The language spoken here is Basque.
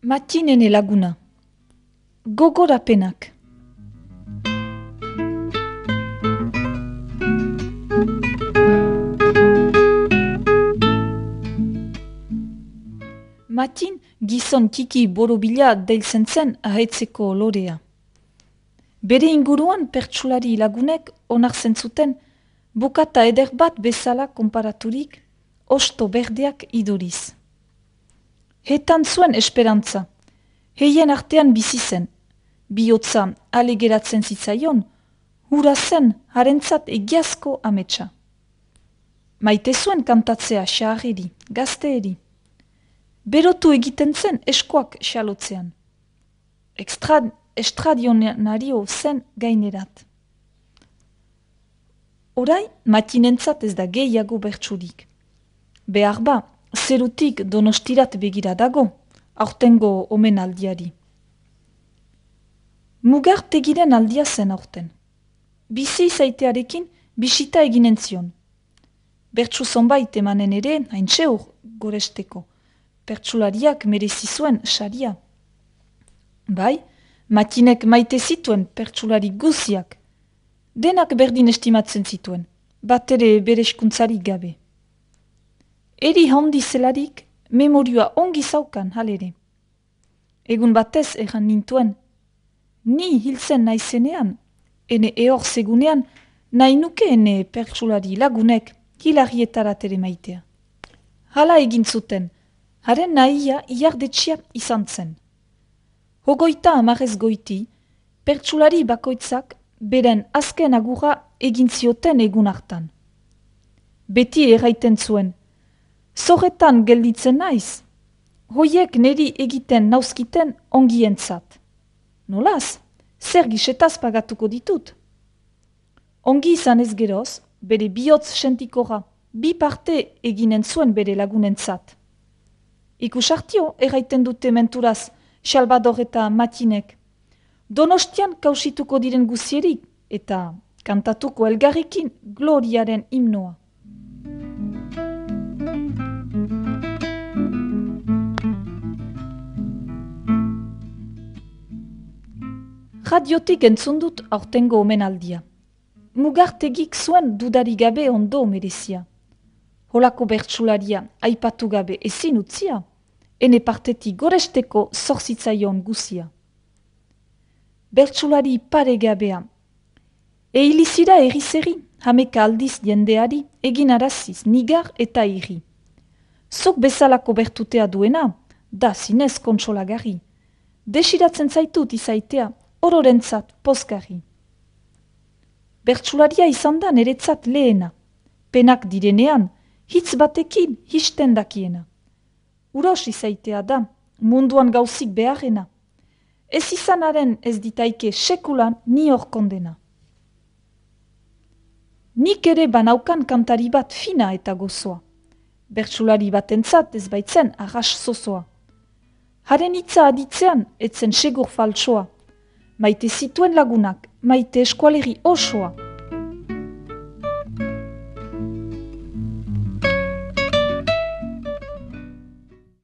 Matinene laguna. Gogorapenak. Matin gizon tiki borobila deiltzen zen ahetzeko lorea. Bere inguruan pertsulari lagunek onartzen zuten bukata eder bat bezala konparaturik osto berdeak iduriz. Hetan zuen esperantza, heien artean bizi zen, bihotza alegeratzen zitzaion, hura zen harentzat egiazko ametsa. Maite zuen kantatzea xaharri, gazteeri. Berotu egiten zen eskoak xalotzean. Estradionario zen gainerat. Orai, matinentzat ez da gehiago bertsurik. Behar ba, zerutik Donostirat begira dago, aurtengo omenaldiari. Mugartegiren aldia zen aurten. Bizi izaitearekin bisita eginen zion. Bertsu zonbait emanen ere, haintxe hor goresteko. Pertsulariak merezi zuen saria. Bai, Matinek maite zituen pertsulari guziak. Denak berdin estimatzen zituen, bat ere bere eskuntzarik gabe. Eri handi zelarik, memorioa ongi zaukan halere. Egun batez erran nintuen, ni hiltzen naizenean, ene ehor segunean, nahi nuke ene pertsulari lagunek hilarrietarat ere maitea. Hala egin zuten, haren nahia iardetxia izan zen. Hogoita amarez goiti, pertsulari bakoitzak beren azken agurra egin zioten egun hartan. Beti erraiten zuen, zorretan gelditzen naiz, hoiek neri egiten nauzkiten ongientzat. Nolaz, zer gisetaz pagatuko ditut. Ongi izan ez geroz, bere bihotz sentikora, bi parte eginen zuen bere lagunentzat. Ikusartio erraiten dute menturaz Salvador eta Matinek. Donostian kausituko diren guzierik eta kantatuko elgarrekin gloriaren himnoa. Radiotik entzun dut aurtengo omenaldia. Mugartegik zuen dudari gabe ondo merezia. Holako bertsularia aipatu gabe ezin utzia, ene partetik goresteko zorzitzaion guzia. Bertsulari paregabea. Eilizira erizeri, hameka aldiz jendeari, egin araziz, nigar eta iri. Zuk bezalako bertutea duena, da zinez kontsolagarri. Desiratzen zaitut izaitea, ororentzat pozgarri. Bertsularia izan da niretzat lehena. Penak direnean, hitz batekin histen dakiena. Uros izaitea da, munduan gauzik beharrena. Ez izanaren ez ditaike sekulan ni hor kondena. Nik ere banaukan kantari bat fina eta gozoa. Bertsulari batentzat ez baitzen arras zozoa. Haren hitza aditzean etzen segur faltsoa. Maite zituen lagunak, maite eskualeri osoa.